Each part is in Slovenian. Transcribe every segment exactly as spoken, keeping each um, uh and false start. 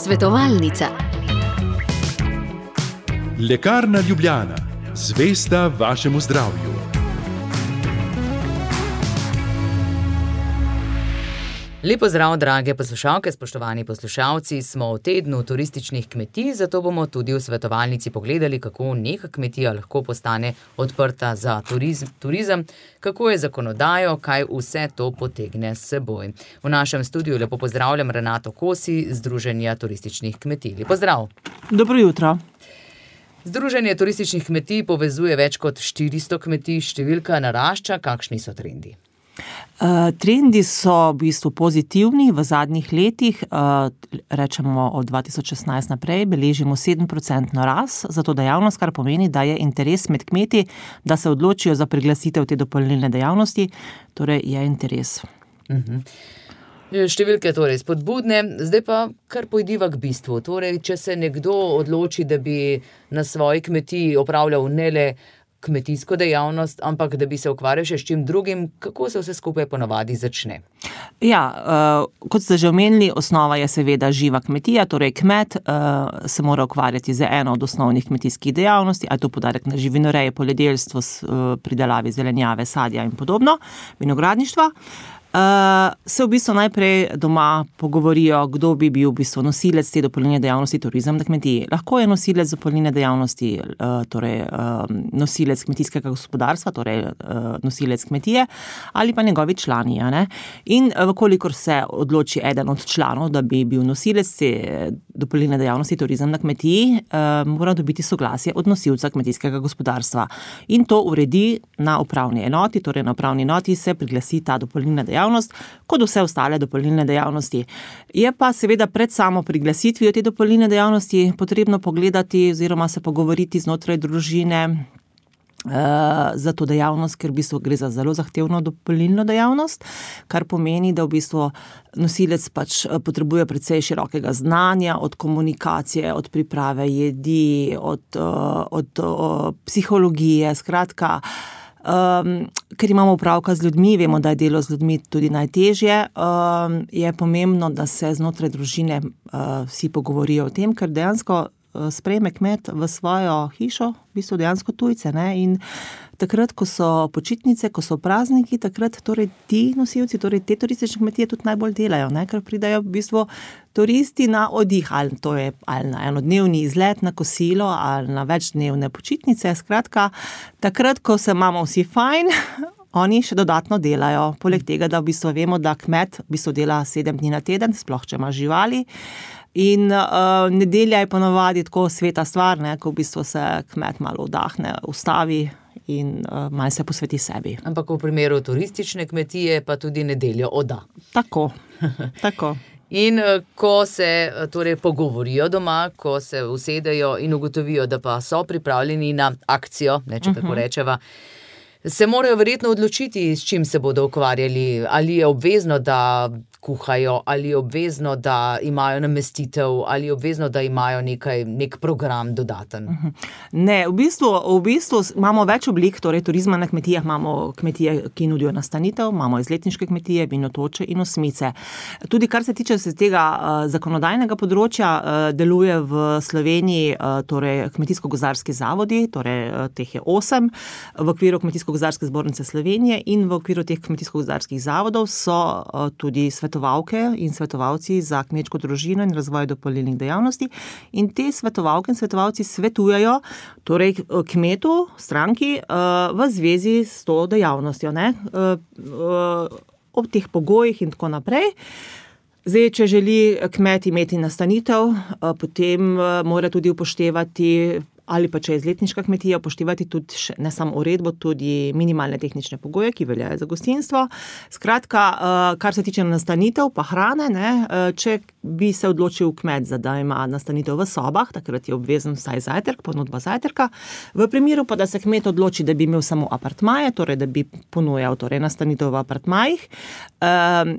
Svetovalnica. Lekarna Ljubljana, zvesta vašemu zdravju. Lepo zdrav, drage poslušalke, spoštovani poslušalci, smo v tednu turističnih kmetij, zato bomo tudi v svetovalnici pogledali, kako neka kmetija lahko postane odprta za turizm, turizem, kako je zakonodajo, kaj vse to potegne s seboj. V našem studiu lepo pozdravljam Renato Kosi, Združenja turističnih kmetij. Lepo zdrav. Dobro jutro. Združenje turističnih kmetij povezuje več kot štiristo kmetij, številka narašča, kakšni so trendi? Uh, trendi so v bistvu pozitivni v zadnjih letih, uh, rečemo od dva tisoč šestnajst naprej, beležimo sedem procentno rast za to dejavnost, kar pomeni, da je interes med kmeti, da se odločijo za priglasitev te dopolnilne dejavnosti, torej je interes. Uh-huh. Številke torej spodbudne, zdaj pa kar pojdiva k bistvu. Torej, če se nekdo odloči, da bi na svoji kmetiji opravljal ne le kmetijsko dejavnost, ampak da bi se ukvarjal še s čim drugim, kako se vse skupaj ponavadi začne? Ja, uh, kot ste že omenili, osnova je seveda živa kmetija, torej kmet uh, se mora ukvarjati z eno od osnovnih kmetijskih dejavnosti, a je to poudarek na živinoreji, poljedelstvo, uh, pridelavi zelenjave, sadja in podobno, vinogradništva. Uh, se v bistvu najprej doma pogovorijo, kdo bi bil v bistvu nosilec te dopolnilne dejavnosti turizem na kmetiji. Lahko je nosilec dopolnilne dejavnosti, uh, torej uh, nosilec kmetijskega gospodarstva, torej uh, nosilec kmetije ali pa njegovi člani. Ja, ne? In uh, vkolikor se odloči eden od članov, da bi bil nosilec te dopolnilne dejavnosti turizem na kmetiji, uh, mora dobiti soglasje od nosilca kmetijskega gospodarstva. In to uredi na upravni enoti, torej na upravni enoti se priglasi ta dopolnilna dejavnost, kot vse ostale dopolnilne dejavnosti. Je pa seveda pred samo priglasitvijo te dopolnilne dejavnosti potrebno pogledati oziroma se pogovoriti znotraj družine uh, za to dejavnost, ker v bistvu gre za zelo zahtevno dopolnilno dejavnost, kar pomeni, da v bistvu nosilec pač potrebuje precej širokega znanja, od komunikacije, od priprave jedi, od, uh, od uh, psihologije, skratka, Um, ker imamo opravka z ljudmi, vemo, da je delo z ljudmi tudi najtežje, um, je pomembno, da se znotraj družine uh, vsi pogovorijo o tem, ker dejansko uh, sprejme kmet v svojo hišo, v bistvu dejansko tujce, ne? In takrat, ko so počitnice, ko so prazniki, takrat torej ti nosilci, torej te turistične kmetije tudi najbolj delajo, ne? Ker pridajo v bistvu turisti na oddih, ali to je ali na enodnevni izlet na kosilo, ali na večdnevne počitnice, skratka, takrat, ko se imamo vsi fajn, oni še dodatno delajo. Poleg tega, da v bistvu vemo, da kmet v bistvu dela sedem dni na teden, sploh če ima živali. In uh, nedelja je ponavadi tako sveta stvar, ne, ko v bistvu se kmet malo vdahne, ustavi in uh, malo se posveti sebi. Ampak v primeru turistične kmetije pa tudi nedeljo odda. Tako, tako. In ko se torej pogovorijo doma, ko se usedejo in ugotovijo, da pa so pripravljeni na akcijo, ne, če tako rečeva, se morajo verjetno odločiti, s čim se bodo ukvarjali. Ali je obvezno, da kuhajo, ali je obvezno, da imajo namestitev, ali je obvezno, da imajo nekaj, nek program dodaten. Ne, v bistvu, v bistvu imamo več oblik, torej turizma na kmetijah, imamo kmetije, ki nudijo nastanitev, imamo izletniške kmetije, vinotoče in osmice. Tudi kar se tiče se tega uh, zakonodajnega področja, uh, deluje v Sloveniji uh, torej kmetijsko-gozdarski zavodi, torej uh, teh je osem, v okviru Kmetijsko-gozdarske zbornice Slovenije in v okviru teh kmetijsko-gozdarskih zavodov so uh, tudi svetovalke in svetovalci za kmečko družino in razvoj dopolnilnih dejavnosti. In te svetovalke in svetovalci svetujejo torej kmetu, stranki v zvezi s to dejavnostjo, ne? Ob teh pogojih in tako naprej. Zdaj, če želi kmet imeti nastanitev, potem mora tudi upoštevati, ali pa če je izletniška kmetija, upoštevati tudi ne samo uredbo, tudi minimalne tehnične pogoje, ki veljajo za gostinstvo. Skratka, kar se tiče nastanitev pa hrane, ne, če bi se odločil kmet, da ima nastanitev v sobah, takrat je obvezen vsaj zajtrk, ponudba zajtrka. V primeru pa, da se kmet odloči, da bi imel samo apartmaje, torej da bi ponujal torej nastanitev v apartmajih,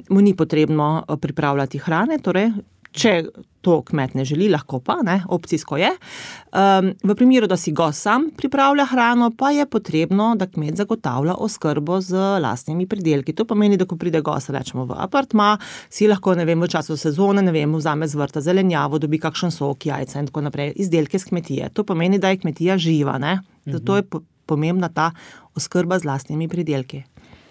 mu ni potrebno pripravljati hrane, torej Če to kmet ne želi, lahko pa, ne, opcijsko je. Um, v primeru, da si gost sam pripravlja hrano, pa je potrebno, da kmet zagotavlja oskrbo z lastnimi pridelki. To pomeni, da ko pride gost, rečemo v apartma, si lahko, ne vem, v času sezone, ne vem, vzame z vrta zelenjavo, dobi kakšen sok, jajca in tako naprej, izdelke z kmetije. To pomeni, da je kmetija živa, ne. Zato je pomembna ta oskrba z lastnimi pridelki.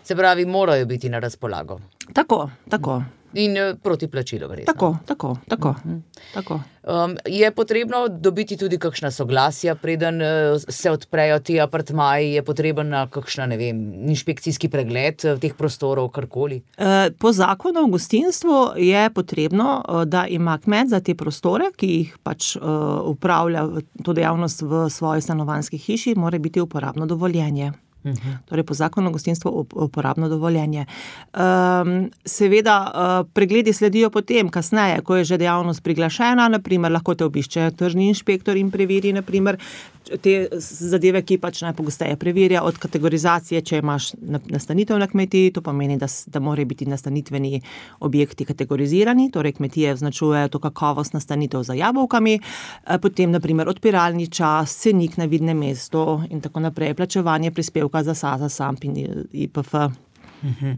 Se pravi, morajo biti na razpolago. Tako, tako. In proti plačilu, verjetno. Tako, tako, tako. Uh-huh. tako. Um, je potrebno dobiti tudi kakšna soglasja, preden uh, se odprejo ti apartmaji, je potreben kakšna, ne vem, inšpekcijski pregled teh prostorov, karkoli? Uh, po zakonu o gostinstvu je potrebno, uh, da ima kmet za te prostore, ki jih pač uh, upravlja to dejavnost v svoji stanovanjski hiši, mora biti uporabno dovoljenje. Uhum. Torej po zakonu o gostinstvu uporabno dovoljenje. Um, seveda uh, pregledi sledijo potem, kasneje, ko je že dejavnost priglašena, naprimer lahko te obišče tržni inšpektor in preveri naprimer te zadeve, ki pač najpogosteje preverja, od kategorizacije, če imaš nastanitev na kmetiji, to pomeni, da, da morajo biti nastanitveni objekti kategorizirani, torej kmetije označujejo to kakovost nastanitev za jabolkami, potem naprimer odpiralni čas, cenik na vidnem mestu in tako naprej, plačevanje prispevka za S A Z, SAMP in I P F. Mhm.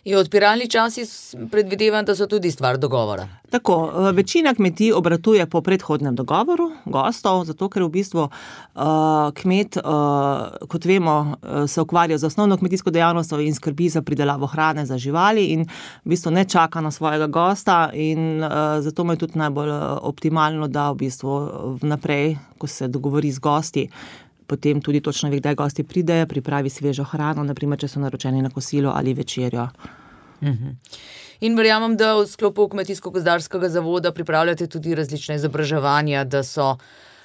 In odpiralni časi predvidevam, da so tudi stvar dogovora. Tako, večina kmetij obratuje po predhodnem dogovoru gostov, zato ker v bistvu uh, kmet, uh, kot vemo, se ukvarja z osnovno kmetijsko dejavnostjo in skrbi za pridelavo hrane za živali in v bistvu ne čaka na svojega gosta in uh, zato mu je tudi najbolj optimalno, da v bistvu vnaprej, ko se dogovori z gosti, potem tudi točno ve, kdaj gosti pridejo, pripravi svežo hrano, naprimer, če so naročeni na kosilo ali večerjo. Mhm. In verjamem, da v sklopu Kmetijsko-gozdarskega zavoda pripravljate tudi različne izobraževanja, da so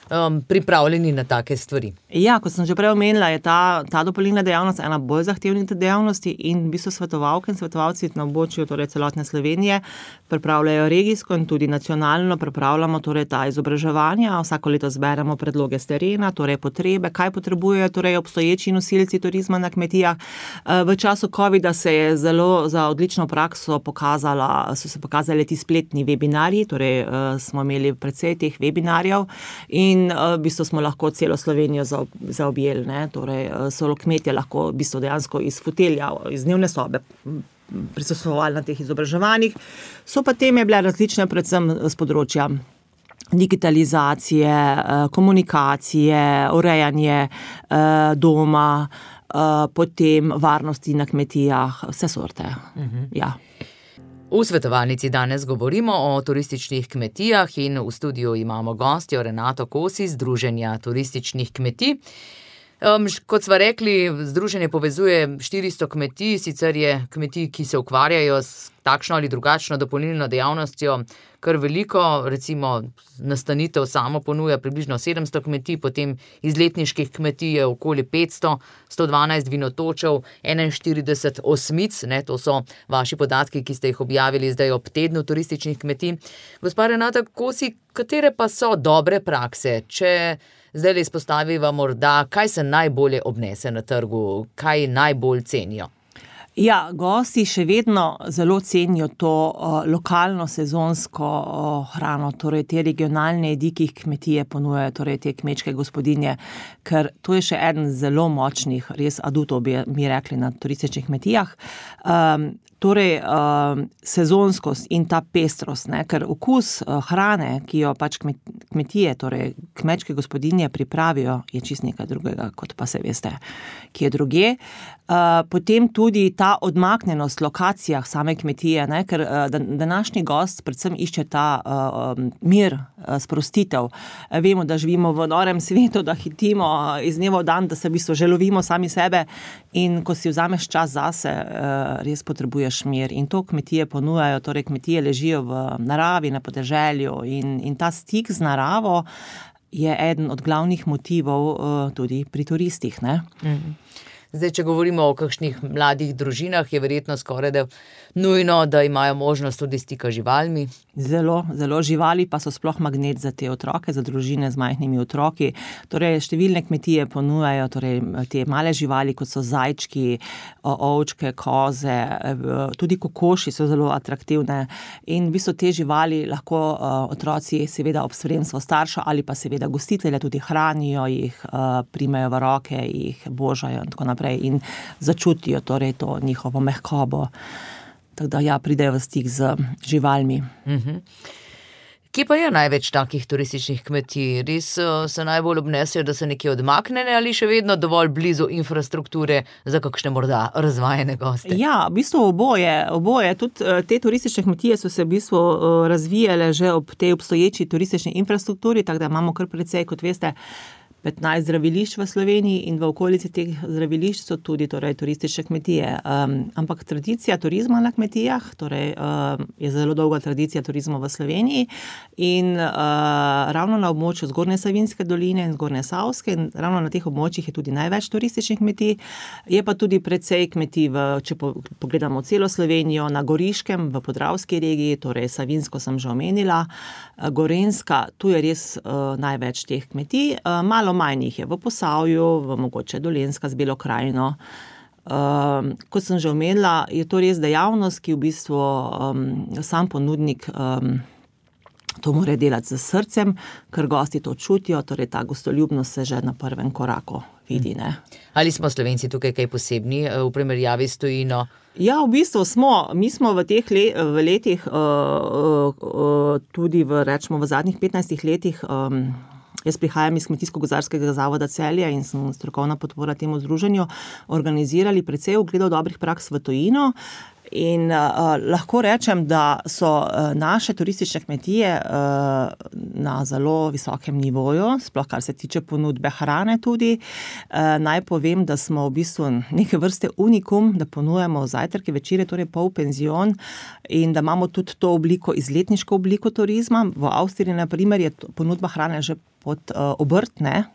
um, pripravljeni na take stvari. Ja, kot sem že prej omenila, je ta, ta dopolnilna dejavnost ena bolj zahtevnih dejavnosti in v bistvu svetovalke in svetovalci na območju torej celotne Slovenije pripravljajo regijsko in tudi nacionalno pripravljamo torej ta izobraževanja. Vsako leto zberemo predloge s terena, torej potrebe, kaj potrebujejo torej obstoječi nosilci turizma na kmetijah. V času covida se je zelo za odlično prakso pokazala, so se pokazali ti spletni webinarji, torej smo imeli precej teh webinarjev in v bistvu smo lahko celo Slovenijo zaobjeli, ne, torej so kmetje lahko v bistvu dejansko iz fotelja, iz dnevne sobe prisostvovali na teh izobraževanjih. So pa teme bile različne predvsem z področja digitalizacije, komunikacije, urejanje doma, potem varnosti na kmetijah, vse sorte. Uh-huh. Ja. V svetovalnici danes govorimo o turističnih kmetijah in v studiu imamo gostjo Renato Kos iz Združenja turističnih kmetij. Um, kot sva rekli, združenje povezuje štiristo kmetij, sicer je kmetij, ki se ukvarjajo s takšno ali drugačno dopolnilno dejavnostjo, kar veliko, recimo nastanitev samo ponuja približno sedemsto kmetij, potem izletniških kmetij je okoli petsto, sto dvanajst vinotočev, enainštirideset osmic, ne, to so vaši podatki, ki ste jih objavili zdaj ob tednu turističnih kmetij. Gospa Renata Kosi, katere pa so dobre prakse, če zdaj le izpostaviva morda, kaj se najbolje obnese na trgu, kaj najbolj cenijo? Ja, gosti še vedno zelo cenijo to uh, lokalno sezonsko uh, hrano, torej te regionalne jedi, ki jih kmetije ponujajo, torej te kmečke gospodinje, ker to je še eden zelo močnih, res adutov bi mi rekli na turističnih kmetijah. Um, Torej, uh, sezonskost in ta pestrost, ne, ker okus uh, hrane, ki jo pač kmetije, torej kmečke gospodinje pripravijo, je čist nekaj drugega, kot pa se veste, ki je drugje. Uh, potem tudi ta odmaknjenost lokacijah same kmetije, ne, ker uh, današnji gost predvsem išče ta uh, mir, uh, sprostitev. Uh, vemo, da živimo v norem svetu, da hitimo uh, iz dneva v dan, da se v bistvu že lovimo sami sebe in ko si vzameš čas zase, uh, res potrebuješ mir in to kmetije ponujajo, torej kmetije ležijo v naravi, na podeželju in, in ta stik z naravo je eden od glavnih motivov uh, tudi pri turistih, ne? Mm. Zdaj, če govorimo o kakšnih mladih družinah, je verjetno skoraj da nujno, da imajo možnost tudi stika z živalmi. Zelo, zelo živali pa so sploh magnet za te otroke, za družine z majhnimi otroki. Torej, številne kmetije ponujajo torej, te male živali, kot so zajčki, ovčke, koze, tudi kokoši so zelo atraktivne. In v bistvu te živali lahko otroci seveda ob spremstvu starša ali pa seveda gostitelja tudi hranijo, jih primejo v roke, jih božajo in tako naprej in začutijo torej to njihovo mehkobo. Tako da ja, pridejo v stik z živalmi. Uh-huh. Kje pa je največ takih turističnih kmetij? Res se najbolj obnesejo, da so nekje odmaknjene ali še vedno dovolj blizu infrastrukture za kakšne morda razvajene goste? Ja, v bistvu oboje. oboje. Tudi te turistične kmetije so se v bistvu razvijale že ob tej obstoječi turistični infrastrukturi, tako da imamo kar precej, kot veste, petnajst zdravilišč v Sloveniji in v okolici teh zdravilišč so tudi torej, turistične kmetije. Um, ampak tradicija turizma na kmetijah, torej um, je zelo dolga tradicija turizma v Sloveniji in uh, ravno na območju Zgornje Savinjske doline in Zgornje Savske in ravno na teh območjih je tudi največ turističnih kmetij. Je pa tudi precej kmetij, v, če po, pogledamo celo Slovenijo, na Goriškem, v Podravski regiji, torej Savinjsko sem že omenila, Gorenjska, tu je res uh, največ teh kmetij. Uh, malo manj jih je v Posavju, v mogoče Dolenjska z Belo krajino. Um, kot sem že omenila, je to res dejavnost, ki v bistvu um, sam ponudnik um, to mora delati z srcem, ker gosti to čutijo, torej ta gostoljubnost se že na prvem koraku vidi. Ne? Ali smo Slovenci tukaj kaj posebni v primerjavi s tujino? Ja, v bistvu smo. Mi smo v teh le, v letih, uh, uh, uh, tudi v, rečemo, v zadnjih petnajstih letih, um, jaz prihajam iz Kmetijsko-gozdarskega zavoda Celje in sem strokovna podpora temu združenju, organizirali precej ogledov dobrih praks v tujino. In uh, lahko rečem, da so uh, naše turistične kmetije uh, na zelo visokem nivoju, sploh kar se tiče ponudbe hrane tudi. Uh, naj povem, da smo v bistvu neke vrste unikum, da ponujemo zajtrke, večere, torej pol penzion in da imamo tudi to obliko, izletniško obliko turizma. V Avstriji, na primer, je ponudba hrane že pod uh, obrtne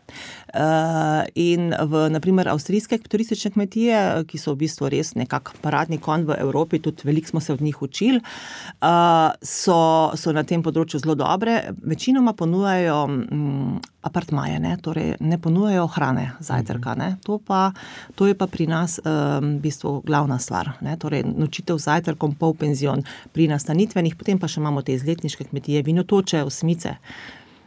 uh, in v, na primer, avstrijske turistične kmetije, ki so v bistvu res nekak paradni konj v Evropi, tudi veliko smo se od njih učili, uh, so, so na tem področju zelo dobre. Večinoma ponujajo um, apartmaje, ne? Torej ne ponujajo hrane, zajtrka. Ne? To, pa, to je pa pri nas um, v bistvu glavna stvar. Ne? Torej nočitev z zajtrkom, pol penzion pri nastanitvenih, potem pa še imamo te izletniške kmetije, vinotoče, osmice.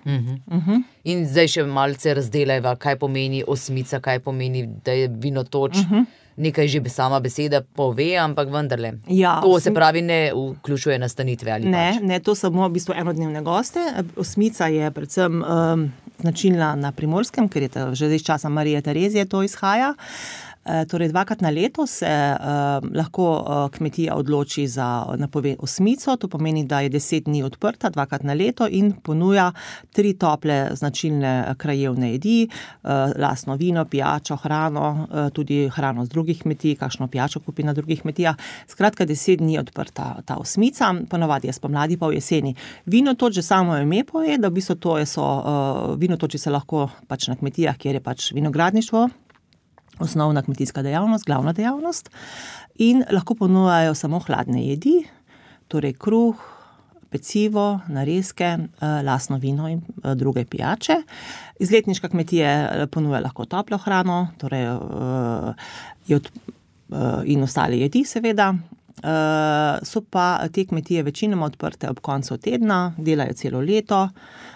Uh-huh. Uh-huh. In zdaj še malce razdelajva, kaj pomeni osmica, kaj pomeni, da je vinotoč. Uh-huh. Nekaj že sama beseda pove, ampak vendarle. Ja, to se pravi ne vključuje nastanitve ali ne, pač? Ne, to samo v bistvu enodnevne goste. Osmica je predvsem um, značilna na Primorskem, ker je to že iz časa Marije Terezije to izhaja. Torej, dvakrat na leto se uh, lahko uh, kmetija odloči za napove osmico, to pomeni, da je deset dni odprta, dvakrat na leto in ponuja tri tople značilne krajevne jedi, uh, lastno vino, pijačo, hrano, uh, tudi hrano z drugih kmetij, kakšno pijačo kupi na drugih kmetijah. Skratka, deset dni odprta ta osmica, ponavadi je spomladi pa v jeseni. Vinotoč, že samo ime pove, da v bistvu to je so, uh, vinotoči se lahko pač na kmetijah, kjer je pač vinogradništvo, osnovna kmetijska dejavnost, glavna dejavnost in lahko ponujajo samo hladne jedi, torej kruh, pecivo, narezke, lastno vino in druge pijače. Izletniška kmetija ponuja lahko toplo hrano, torej in ostale jedi seveda. So pa te kmetije večinoma odprte ob koncu tedna, delajo celo leto.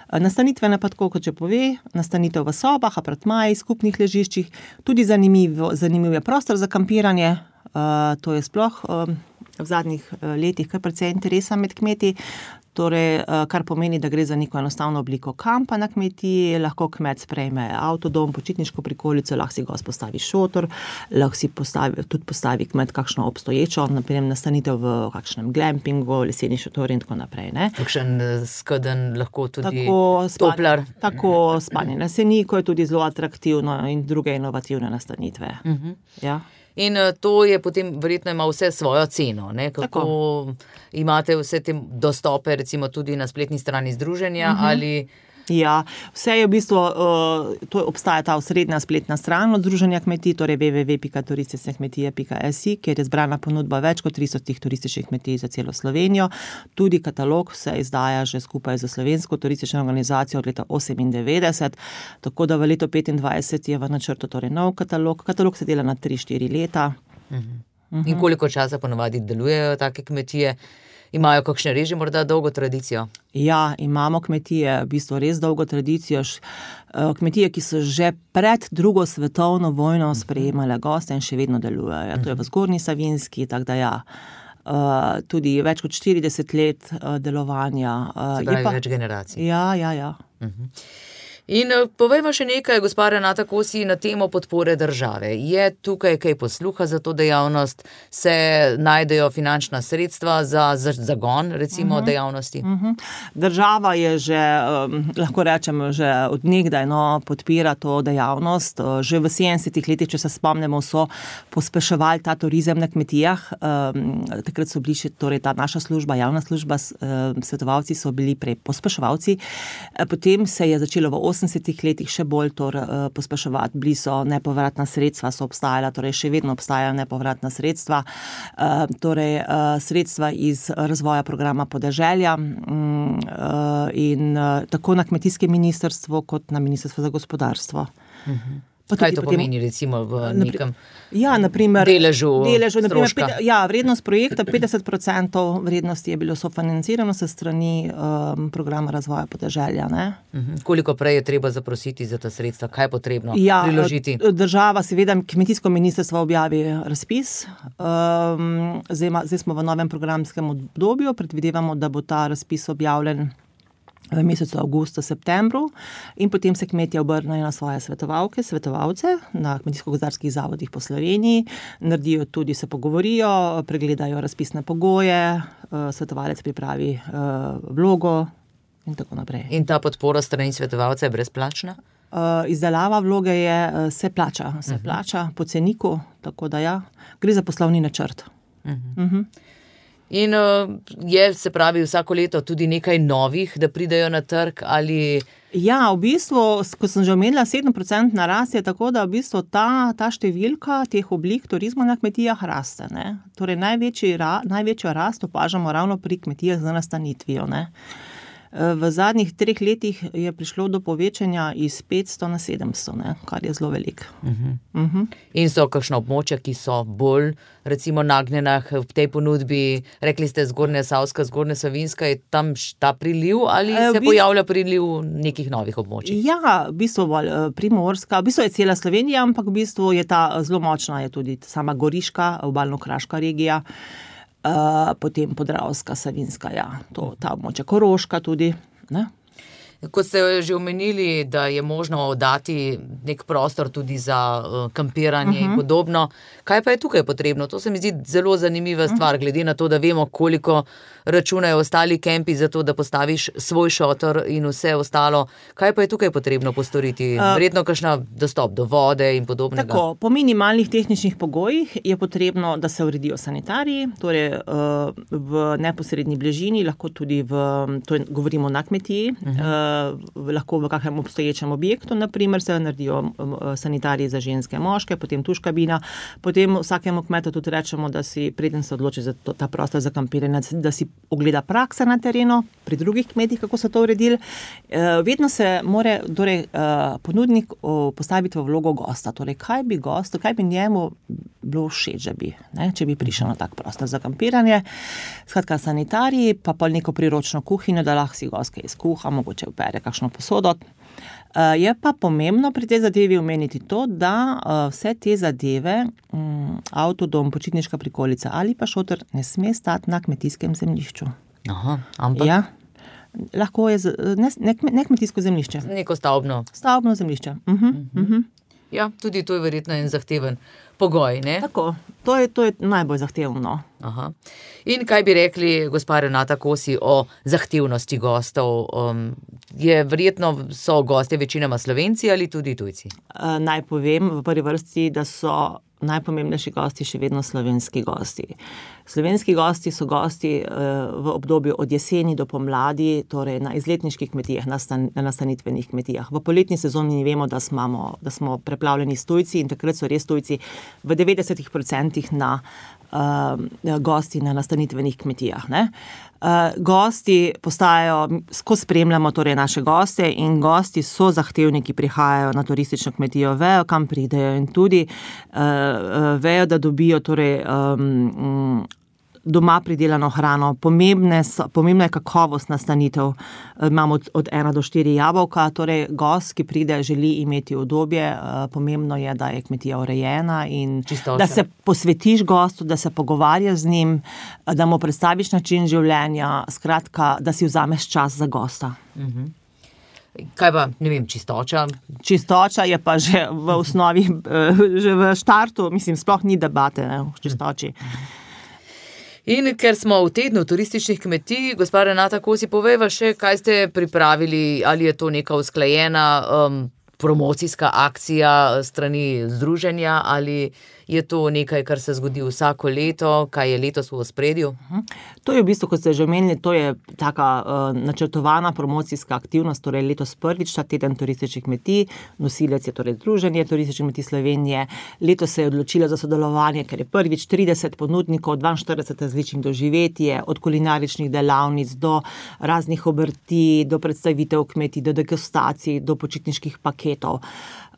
Nastanitvene pa tako, kot že pove, nastanitev v sobah, apartmaji, skupnih ležiščih, tudi zanimiv, zanimiv je prostor za kampiranje, uh, to je sploh uh, v zadnjih letih kar precej interesa med kmeti, torej, uh, kar pomeni, da gre za neko enostavno obliko kampa na kmetiji, lahko kmet sprejme avtodom, počitniško prikolico, lahko si gost postavi šotor, lahko si postavi, tudi postavi kmet kakšno obstoječo, naprimer nastanitev v kakšnem glampingu, leseni šotor in tako naprej. Ne? Kakšen skedenj lahko tudi tako toplar. Spanje, tako spanje na seniku je tudi zelo atraktivno in druge inovativne nastanitve. Uh-huh. Ja. In to je potem, verjetno ima vse svojo ceno, ne? Kako tako imate vse te dostope, recimo tudi na spletni strani združenja, uh-huh. ali Ja, vse je v bistvu, uh, to obstaja ta osrednja spletna stran od Združenja kmetij, torej w w w pika turistične kmetije pika s i, kjer je zbrana ponudba več kot tristo turističnih kmetij za celo Slovenijo. Tudi katalog se izdaja že skupaj z Slovensko turistično organizacijo od leta osemindevetdeset, tako da v letu petindvajset je v načrtu torej nov katalog. Katalog se dela na tri štiri leta. Uh-huh. In koliko časa ponovadi delujejo take kmetije? Imajo kakšne reži morda dolgo tradicijo? Ja, imamo kmetije, v bistvu res dolgo tradicijo. Kmetije, ki so že pred drugo svetovno vojno sprejemale goste in še vedno delujejo. To je v Zgornji Savinjski, tako da ja. Uh, tudi več kot štirideset let uh, delovanja. Uh, Se pravi, pa več generacij. Ja, ja, ja. Uh-huh. In povejmo še nekaj, gospa Renata Kosi, na temo podpore države. Je tukaj kaj posluha za to dejavnost? Se najdejo finančna sredstva za zagon, recimo, uh-huh. dejavnosti? Uh-huh. Država je že, um, lahko rečemo, že od nekdaj no, podpira to dejavnost. Že v sedemdesetih letih, če se spomnimo, so pospeševali ta turizem na kmetijah. Um, takrat so bili še, torej ta naša služba, javna služba, um, svetovalci so bili prej pospeševalci. Potem se je začelo v osemdesetih letih še bolj tor, uh, pospeševati. Bili so nepovratna sredstva, so obstajala, torej še vedno obstajajo nepovratna sredstva, uh, torej uh, sredstva iz razvoja programa podeželja um, uh, in uh, tako na kmetijskem ministrstvu kot na ministrstvu za gospodarstvo. Uh-huh. Kaj to potem pomeni recimo v nekem ja, naprimer, deležu, deležu naprimer, stroška? Ja, vrednost projekta, petdeset procentov vrednosti je bilo sofinancirano se strani um, programa razvoja podeželja. Ne? Uh-huh. Koliko prej je treba zaprositi za ta sredstva? Kaj je potrebno ja, priložiti? Država, seveda, kmetijsko ministrstvo objavi razpis. Um, zdaj, ma, zdaj smo v novem programskem obdobju, predvidevamo, da bo ta razpis objavljen v mesecu avgustu, septembru in potem se kmetje obrnejo na svoje svetovalke, svetovalce na kmetijsko-gozdarskih zavodih po Sloveniji, naredijo tudi, se pogovorijo, pregledajo razpisne pogoje, svetovalec pripravi vlogo in tako naprej. In ta podpora strani svetovalca je brezplačna? Izdelava vloge je, se plača, se uh-huh. plača po ceniku, tako da ja, gre za poslovni načrt. Uh-huh. Uh-huh. In uh, je, se pravi, vsako leto tudi nekaj novih, da pridejo na trg ali... Ja, v bistvu, ko sem že omenila, sedem procentov narast je tako, da v bistvu ta, ta številka teh oblik turizma na kmetijah raste. Ne? Torej, največji, ra, največjo rast opažamo ravno pri kmetijah z nastanitvijo. Ne? V zadnjih treh letih je prišlo do povečanja iz petsto na sedemsto, ne? Kar je zelo veliko. Uh-huh. Uh-huh. In so kakšna območja, ki so bolj recimo nagnjena v tej ponudbi, rekli ste Zgornja Savska, Zgornja Savinjska, je tam ta priliv ali e, se bistvu, pojavlja priliv nekih novih območij? Ja, v bistvu bolj Primorska, v bistvu je cela Slovenija, ampak v bistvu je ta zelo močna, je tudi sama Goriška, obalno-kraška regija. Uh, potem Podravska, Savinjska, ja, to, ta območja, Koroška tudi, ne? Kot ste že omenili, da je možno oddati nek prostor tudi za uh, kampiranje uh-huh. in podobno. Kaj pa je tukaj potrebno? To se mi zdi zelo zanimiva stvar, uh-huh. glede na to, da vemo, koliko računajo ostali kempi za to, da postaviš svoj šotor in vse ostalo. Kaj pa je tukaj potrebno postoriti? Verjetno kakšna dostop do vode in podobnega? Tako, po minimalnih tehničnih pogojih je potrebno, da se uredijo sanitariji, torej uh, v neposredni bližini, lahko tudi v, to je, govorimo na kmetiji, uh-huh. uh, lahko v kakšnem obstoječem objektu, naprimer se naredijo uh, sanitariji za ženske, moške, potem tuš kabina, potem vsakemu kmetu tudi rečemo, da si preden se odloči za to, ta prostor za kampiranje, da si ogleda praksa na terenu, pri drugih kmetih, kako so to uredili. Vedno se mora torej, ponudnik postaviti v vlogo gosta. Torej, kaj bi gostu, kaj bi njemu bilo všeč, bi, ne, če bi prišel na tak prostor za kampiranje. Skratka, sanitariji, pa pa neko priročno kuhinjo, da lahko si gost kaj izkuha, mogoče opere kakšno posodo. Je pa pomembno pri tej zadevi omeniti to, da vse te zadeve, avtodom, počitniška prikolica ali pa šotor ne sme stati na kmetijskem zemljišču. Aha, ampak? Ja, lahko je ne, ne, ne kmetijsko zemljišče. Neko stavbno. Stavbno zemljišče. Uh-huh, uh-huh. Ja, tudi to je verjetno en zahteven pogoj, ne? Tako, to je, to je najbolj zahtevno. Aha. In kaj bi rekli, gospa Renata Kosi, o zahtevnosti gostov? Um, je verjetno so gostje večinoma Slovenci ali tudi tujci? Uh, naj povem v prvi vrsti, da so najpomembnejši gosti še vedno slovenski gosti. Slovenski gosti so gosti v obdobju od jeseni do pomladi, torej na izletniških kmetijah, na, stan, na nastanitvenih kmetijah. V poletni sezoni vemo, da smo, da smo preplavljeni s tujci in takrat so res tujci v devetdesetih procentih na uh, gosti na nastanitvenih kmetijah. Ne? Uh, gosti postajajo, skozi spremljamo torej naše goste in gosti so zahtevni, ki prihajajo na turistično kmetijo, vejo, kam pridejo in tudi uh, uh, vejo, da dobijo torej um, doma pridelano hrano. Pomembne so, pomembna je kakovost nastanitev. Imamo od, od ena do štiri jabolka, torej gost, ki pride, želi imeti udobje. Pomembno je, da je kmetija urejena in Čistoča. Da se posvetiš gostu, da se pogovarjaš z njim, da mu predstaviš način življenja, skratka, da si vzameš čas za gosta. Mhm. Kaj pa, ne vem, čistoča? Čistoča je pa že v osnovi, že v štartu, mislim, sploh ni debate, ne, v čistoči. Mhm. In ker smo v tednu turističnih kmetij, gospa Renata Kosi, povejva še, kaj ste pripravili, ali je to neka usklajena um, promocijska akcija strani združenja, ali je to nekaj, kar se zgodi vsako leto, kaj je letos v ospredju? To je v bistvu, kot ste že omenili, to je taka uh, načrtovana promocijska aktivnost, torej letos prvič ta teden turističnih kmetij, nosilec je torej Združenje turističnih kmetij Slovenije, letos se je odločilo za sodelovanje, ker je prvič trideset ponudnikov, dvainštirideset različnih doživetij, od kulinaričnih delavnic do raznih obrti, do predstavitev kmetij, do degustacij, do počitniških paketov.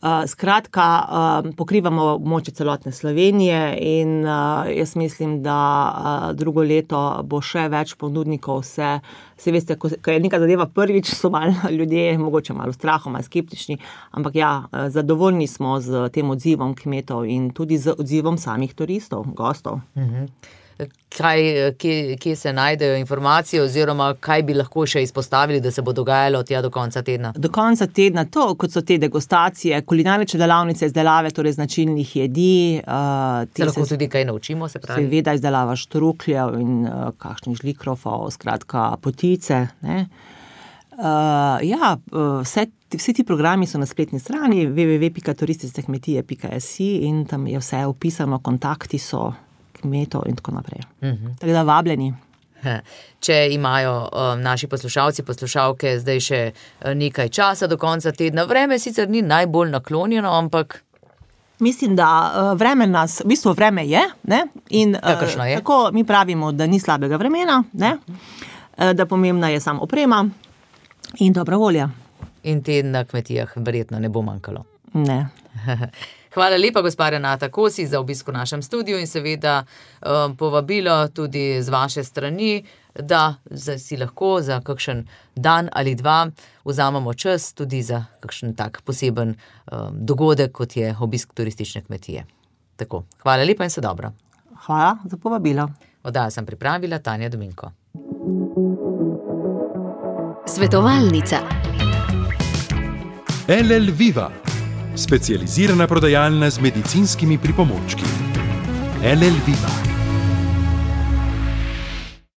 Uh, skratka, uh, pokrivamo območje celotne Slovenije in uh, jaz mislim, da uh, drugo leto bo še več ponudnikov. Se, se veste, ko, ko je neka zadeva prvič, so malo ljudje, mogoče malo strahom, malo skeptični, ampak ja, zadovoljni smo z tem odzivom kmetov in tudi z odzivom samih turistov, gostov. Mhm. Kaj, kje, kje se najdejo informacije oziroma kaj bi lahko še izpostavili, da se bo dogajalo tja do konca tedna? Do konca tedna to, kot so te degustacije, kulinarične delavnice, izdelave, torej značilnih jedi. Uh, se lahko se, tudi kaj naučimo, se pravi? Seveda izdelava štrukljev in uh, kakšnih žlikrofov, skratka potice. Ne? Uh, ja, vse, vsi ti programi so na spletni strani w w w pika turistične kmetije pika s i in tam je vse opisano, kontakti so kmetov in tako naprej. Uh-huh. Tako da vabljeni. Če imajo um, naši poslušalci, poslušalke zdaj še nekaj časa do konca tedna, vreme sicer ni najbolj naklonjeno, ampak... Mislim, da uh, vreme nas, v bistvu vreme je, ne? In uh, je? Tako mi pravimo, da ni slabega vremena, ne? Uh, da pomembna je samo oprema in dobra volja. In teden na kmetijah verjetno ne bo manjkalo. Ne. Hvala lepa, gospa Renata Kosi, za obisk v našem studiu in seveda um, povabilo tudi z vaše strani, da si lahko za kakšen dan ali dva vzamemo čas tudi za kakšen tak poseben um, dogodek, kot je obisk turistične kmetije. Tako, hvala lepa in se dobro. Hvala za povabilo. Oddajo sem pripravila Tanja Dominko. Svetovalnica. L L Viva. Specializirana prodajalna z medicinskimi pripomočki. L L Viva.